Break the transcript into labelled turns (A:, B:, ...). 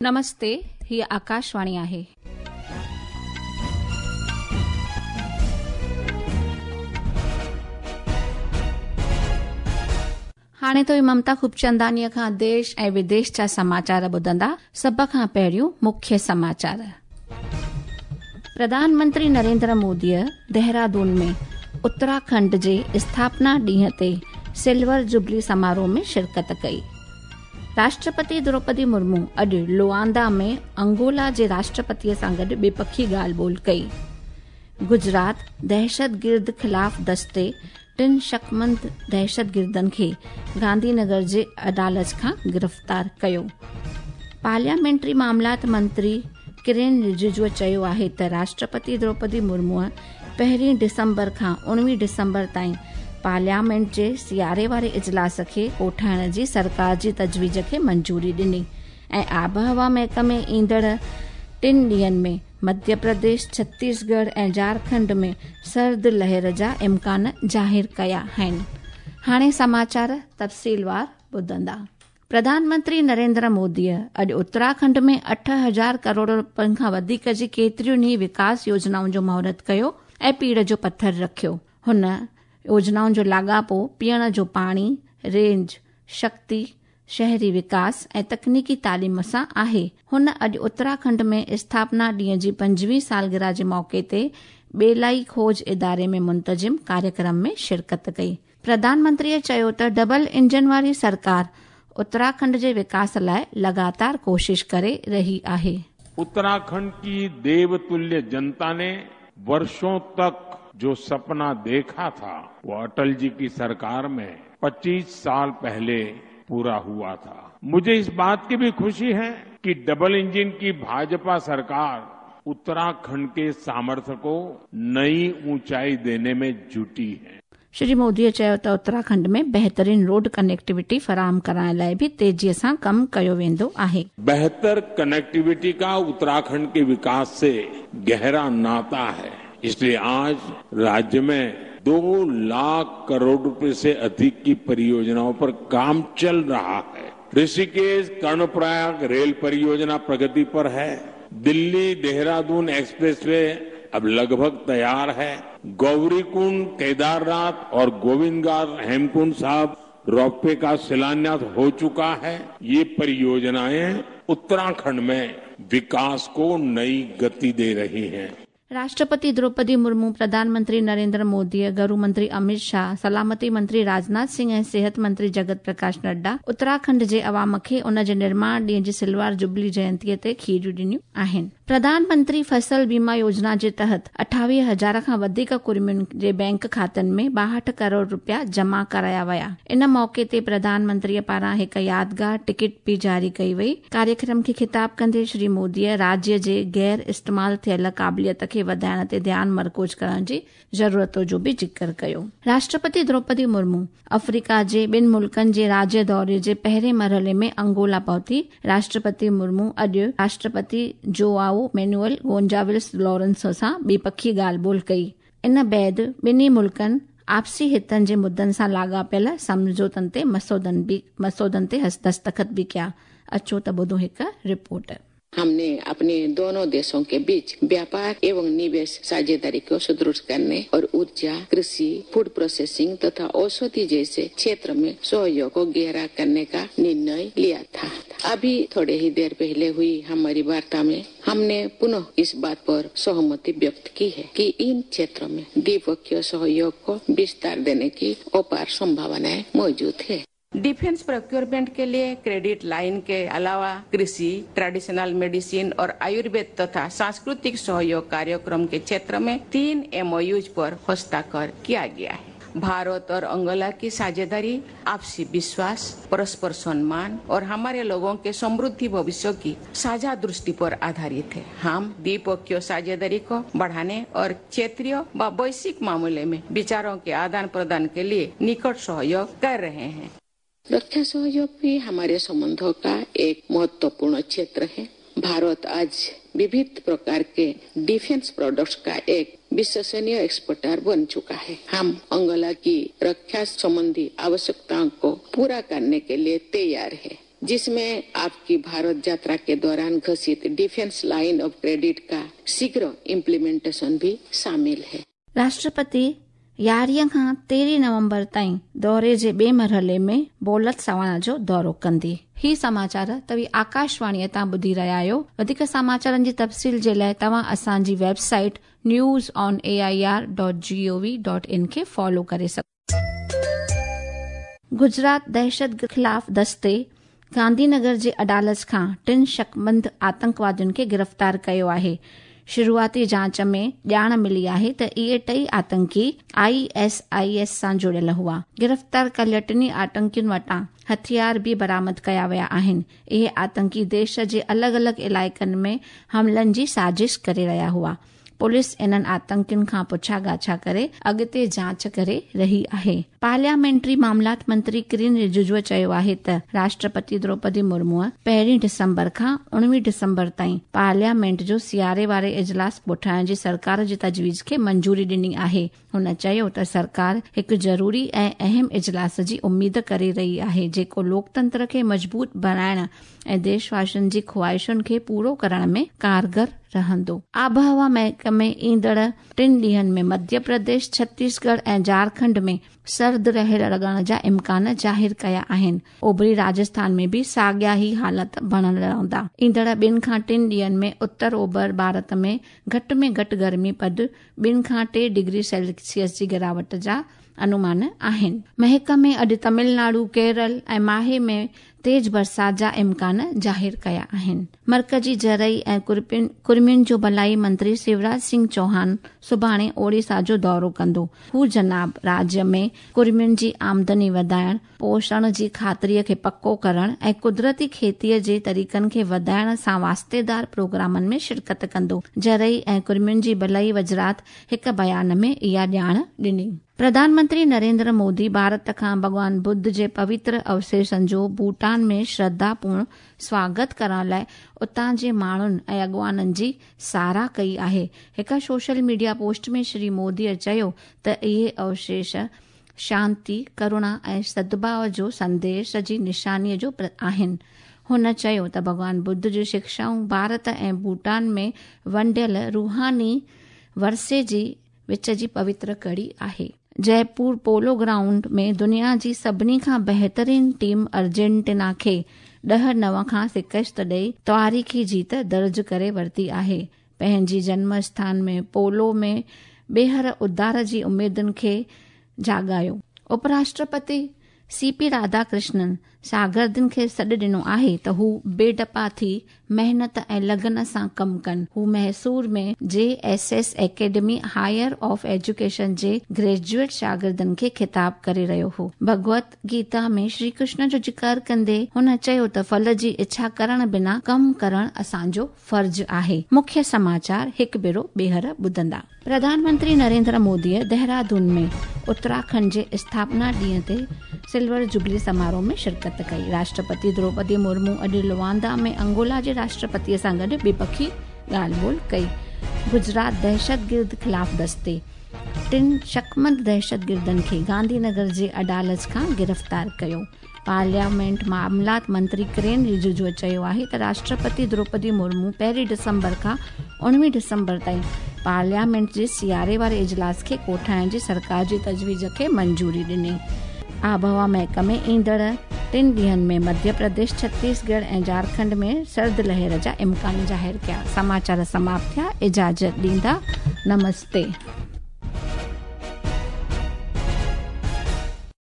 A: नमस्ते, ही आकाशवाणी आहे. हाणे तो ममता खूबचंदानीअ खां देश ऐं विदेश जा समाचार ॿुधंदा। सभ खां पहिरियों मुख्य समाचार। प्रधानमंत्री नरेंद्र मोदीअ देहरादून में उत्तराखंड जे स्थापना ॾींहं ते सिल्वर जुबली समारोह में शिरकत कई। राष्ट्रपति द्रौपदी मुर्मू अॼु लुआंदा में अंगोला जे राष्ट्रपतीअ सां गॾु ॿिपखी ॻाल्हि ॿोल कई। गुजरात दहशतगिर्द ख़िलाफ़ दस्ते टिनि शकमंद दहशतगिर्दनि खे गांधीनगर जे अदालत खां गिरफ़्तार कयो। पार्लियामेंट्री मामलात मंत्री किरेन रिजिजूअ चयो आहे त राष्ट्रपति द्रौपदी मुर्मूअ 1 डिसंबर खां 19 डिसंबर ताईं पार्लियामेंट जे सियारे वारे इजलास खे कोठाइण जी सरकार जी तजवीज़ खे मंजूरी ॾिनी ऐं आबहवा महकमे ईंदड़ 3 ॾींहंनि में मध्य प्रदेश, छत्तीसगढ़ ऐं झारखंड में सर्द लहर जा इम्कान ज़ाहिर कया आहिनि। हाणे समाचार तफ़सीलवार ॿुधंदा। प्रधानमंत्री नरेंद्र मोदीअ अॼु उत्तराखंड में 8,000 करोड़ रुपयनि खां वधीक जी केतिरियुनि ई विकास योजनाउनि जो मुहूर्त कयो ऐं पीड़ जो पथर रखियो। हुन योजनाउनि जो लाॻापो पीअण जो पाणी, रेंज, शक्ति, शहरी विकास ऐं तकनीकी तालीम सां आहे। हुन अॼु उत्तराखंड में स्थापना ॾींहं जी 25वीं सालगिरह जे मौक़े ते ॿेलाई खोज इदारे में मुंतज़िम कार्यक्रम में शिरकत कई। प्रधानमंत्रीअ चयो त डबल इंजन वारी सरकार उत्तराखंड जे विकास लाइ लगातार कोशिश करे रही आहे।
B: उत्तराखंड की देवतुल्य जनता ने वर्षों तक जो सपना देखा था वो अटल जी की सरकार में 25 साल पहले पूरा हुआ था। मुझे इस बात की भी खुशी है कि डबल इंजन की भाजपा सरकार उत्तराखंड के सामर्थ्य को नई ऊंचाई देने में जुटी है।
A: श्री मोदीअ चयो त उत्तराखंड में बहितरीन रोड कनेक्टिविटी फराहम कराइण लाइ बि तेज़ीअ सां कमु कयो वेंदो आहे।
B: बेहतर कनेक्टिविटी का उत्तराखंड के विकास से गहरा नाता है, इसलिए आज राज्य में 2 लाख करोड़ रुपए से अधिक की परियोजनाओं पर काम चल रहा है। ऋषिकेश कर्णप्रयाग रेल परियोजना प्रगति पर है। दिल्ली देहरादून एक्सप्रेसवे अब लगभग तैयार है। गौरीकुंड केदारनाथ और गोविंदघाट हेमकुंड साहब रोपवे का शिलान्यास हो चुका है। ये परियोजनाएं उत्तराखंड में विकास को नई गति दे रही हैं।
A: राष्ट्रपति द्रौपदी मुर्मू, प्रधानमंत्री नरेंद्र मोदी, गृह मंत्री अमित शाह, सलामती मंत्री राजनाथ सिंह ऐं सेहत मंत्री जगत प्रकाश नड्डा उत्तराखंड जे अवाम खे उन जे निर्माण ॾींहं जी सिल्वर जुबली जयंतीअ ते खीरियूं ॾिनियूं आहिनि। प्रधानमंत्री फसल बीमा योजना जे तहत 28,000 खां वधीक कुर्मियुनि जे बैंक खातनि में 62 करोड़ रुपया जमा कराया विया। इन मौक़े ते प्रधानमंत्रीअ पारां हिकु यादगार टिकट बि जारी कई वई। कार्यक्रम खे ख़िताब कंदे श्री मोदीअ राज्य जे गैर इस्तेमाल थियल क़ाबिलियत खे वधाइण ते ध्यानु मरकूज़ करण जी ज़रूरत जो बि ज़िक्र कयो। राष्ट्रपति द्रौपदी मुर्मू अफ्रीका जे ॿिनि मुल्कनि जे राज्य दौरे जे पहिरें मरहले में अंगोला पहुती। राष्ट्रपति मुर्मू अॼु राष्ट्रपति जोआओ मैनुअल गोंजाल्विस लॉरेंसो सां ॿिपखी ॻाल्हि ॿोल कई। इन बाद ॿिन्ही मुल्कनि आपसी हितनि जे मुद्दनि सां लाॻापियल सम्झौतनि ते मसौदनि ते दस्तख़त बि कया। अचो त ॿुधो हिकु रिपोर्ट।
C: हमने अपने दोनों देशों के बीच व्यापार एवं निवेश साझेदारी को सुदृढ़ करने और ऊर्जा, कृषि, फूड प्रोसेसिंग तथा औषधि जैसे क्षेत्र में सहयोग को गहरा करने का निर्णय लिया था। अभी थोड़े ही देर पहले हुई हमारी वार्ता में हमने पुनः इस बात पर सहमति व्यक्त की है कि इन क्षेत्रों में द्विपक्षीय सहयोग को विस्तार देने की अपार संभावनाएं मौजूद है। डिफेंस प्रोक्योरमेंट के लिए क्रेडिट लाइन के अलावा कृषि, ट्रेडिशनल मेडिसिन और आयुर्वेद तथा सांस्कृतिक सहयोग कार्यक्रम के क्षेत्र में 3 MOUs पर हस्ताक्षर किया गया है। भारत और अंगोला की साझेदारी आपसी विश्वास, परस्पर सम्मान और हमारे लोगों के समृद्धि भविष्य की साझा दृष्टि पर आधारित है। हम द्विपक्षीय साझेदारी को बढ़ाने और क्षेत्रीय व वैश्विक मामले में विचारों के आदान प्रदान के लिए निकट सहयोग कर रहे हैं। रक्षा सहयोग भी हमारे संबंधों का एक महत्वपूर्ण क्षेत्र है। भारत आज विविध प्रकार के डिफेंस प्रोडक्ट्स का एक विश्वसनीय एक्सपोर्टर बन चुका है। हम अंगोला की रक्षा संबंधी आवश्यकताओं को पूरा करने के लिए तैयार है। जिसमें आपकी भारत यात्रा के दौरान घोषित डिफेंस लाइन ऑफ क्रेडिट का शीघ्र इम्प्लीमेंटेशन भी शामिल है।
A: राष्ट्रपति 11 खां 13 नवंबर ताईं दौरे जे ॿिए मरहले में बोत्सवाना जो दौरो कंदी। ही समाचार तव्हीं आकाशवाणीअ तां ॿुधी रहिया आहियो। वधीक समाचारनि जी तफ़सील जे लाइ तव्हां असांजी वेबसाइट newsonair.gov.in खे फॉलो करे सघो। गुजरात दहशत ख़िलाफ़ दस्ते गांधीनगर जे अदालत खां 3 शकमंद आतंकवादियुनि खे गिरफ़्तार कयो आहे। शुरूआती जांच में ॼाण मिली आहे त इहे टई आतंकी ISIS सां जुड़ियल हुआ। गिरफ़्तार कयल टिन्ही आतंकियुनि वटां हथियार बि बरामद कया विया आहिनि। इहे आतंकी देश जे अलॻि अलॻि इलाइक़नि में हमलनि जी साज़िश करे रहिया हुआ। पुलिस इन्हनि आतंकियुनि खां पुछा ॻाछा करे अॻिते जांच करे रही आहे। पार्लियामेंट्री मामलात मंत्री किरण रिजिजूअ चयो आहे त राष्ट्रपति द्रौपदी मुर्मूअ 1 डिसंबर खां 19 डिसंबर ताईं पार्लियामेंट जो सियारे वारे इजलास कोठाइण जी सरकार जी तजवीज़ खे मंजूरी ॾिनी आहे। हुन चयो त सरकार हिकु ज़रूरी ऐं अहम इजलास जी उमेद करे रही आहे, जेको लोकतंत्र खे मज़बूत बणाइण ऐं देशवासियुनि जी ख़्वाहिशुनि खे पूरो करण में कारगर रहंदो। आबहवा महकमे ईंदड़ 3 ॾींहंनि में मध्य प्रदेश, छत्तीसगढ़ ऐं झारखंड में सर्द लहर लॻण जा इम्कान ज़ाहिर कया आहिनि। ओभरी राजस्थान में बि साॻिया ई हालत बणियल रहंदा। ईंदड़ 2 खां 3 ॾींहंनि में उत्तर ओभर भारत में घटि में घटि गर्मी पद 2 खां 3 डिग्री सेल्सियस जी गिरावट जा अनुमान आहिनि। महकमे अॼु तमिलनाडु, केरल ऐं माहे में तेज़ बरसात जा इम्कान ज़ाहिर कया आहिनि। मर्कज़ी ज़रई ऐं कुर्मियुनि जो भलाई मंत्री शिवराज सिंह चौहान सुभाणे ओडिशा जो दौरो कंदो। हू जनाब राज्य में कुर्मियुनि जी आमदनी वधाइण, पोषण जी ख़ातिरीअ खे पको करण ऐं कुदरती खेतीअ जे तरीक़नि खे वधाइण सां वास्तेदार प्रोग्रामनि में शिरकत कंदो। ज़रई ऐं कुर्मियुनि जी भलाई वज़ारत हिकु बयान में इहा ॼाण ॾिनी। प्रधानमंत्री नरेंद्र मोदी भारत खां भॻवान बुद्ध जे पवित्र अवशेषनि जो भूटान में श्रद्धापूर्ण स्वागत करण लाइ उतां जे माण्हुनि ऐं अॻवाननि जी सराह कई आहे। हिकु सोशल मीडिया पोस्ट में श्री मोदीअ चयो त इहे अवशेष शांति, करुणा ऐं सद्भाव जो संदेश जी निशानीअ जो आहिनि। हुन चयो त भॻवान बुद्ध जूं शिक्षाऊं भारत ऐं भूटान में वंडियल रूहानी वरसे जी विच जी पवित्र कड़ी आहे। जयपुर पोलो ग्राउंड में दुनिया जी सभिनी खां बहितरीन टीम अर्जेंटीना खे 10-9 खां शिकस्त ॾेई तारीख़ी जीत दर्ज करे वरिती आहे। पंहिंजी जन्म स्थान में पोलो में ॿीहर उद्धार जी उमेदुनि खे जाॻायो। उपराष्ट्रपति CP Radhakrishnan शागिर्दनि खे सॾु ॾिनो आहे त हू बेडपा थी महिनत ऐं लगन सां कमु कनि। हू मैसूर में JSS academy higher of education J graduate शागिर्दनि खे ख़िताब करे रहियो हो। भगवत गीता में श्री कृष्ण जो ज़िक्र कंदे हुन चयो त फल जी इच्छा करण बिना कमु करण असांजो फ़र्ज़ आहे। मुख्य समाचार हिकु भेरो ॿीहर ॿुधंदा। प्रधानमंत्री नरेंद्र मोदीअ देहरादून में उत्तराखंड जे स्थापना ॾींहं ते सिल्वर जुबली समारोह में शिरकत कई। राष्ट्रपति द्रौपदी मुर्मू अॼु लुआंदा में अंगोला जे राष्ट्रपतीअ सां गॾु ॿिपखी ॻाल्हि ॿोल कई। गुजरात दहशतगिर्द ख़िलाफ़ दस्ते 3 शकमंद दहशतगिर्दनि खे गांधीनगर जे अदालत खां गिरफ़्तार कयो। पार्लियामेंट मामलात मंत्री किरण रिजिजूअ चयो आहे त राष्ट्रपति द्रौपदी मुर्मू 1 डिसंबर खां 19 डिसंबर ताईं पार्लियामेंट जे सियारे वारे इजलास खे कोठाइण जी सरकार जी तजवीज़ खे मंजूरी ॾिनी। आबहवा महकमे ईंदड़ 3 ॾींहंनि में मध्य प्रदेश, छत्तीसगढ़ ऐं झारखंड में सर्द लहर जा इम्कान ज़ाहिर कया। समाचार समाप्त थिया। इजाज़त ॾींदा। नमस्ते।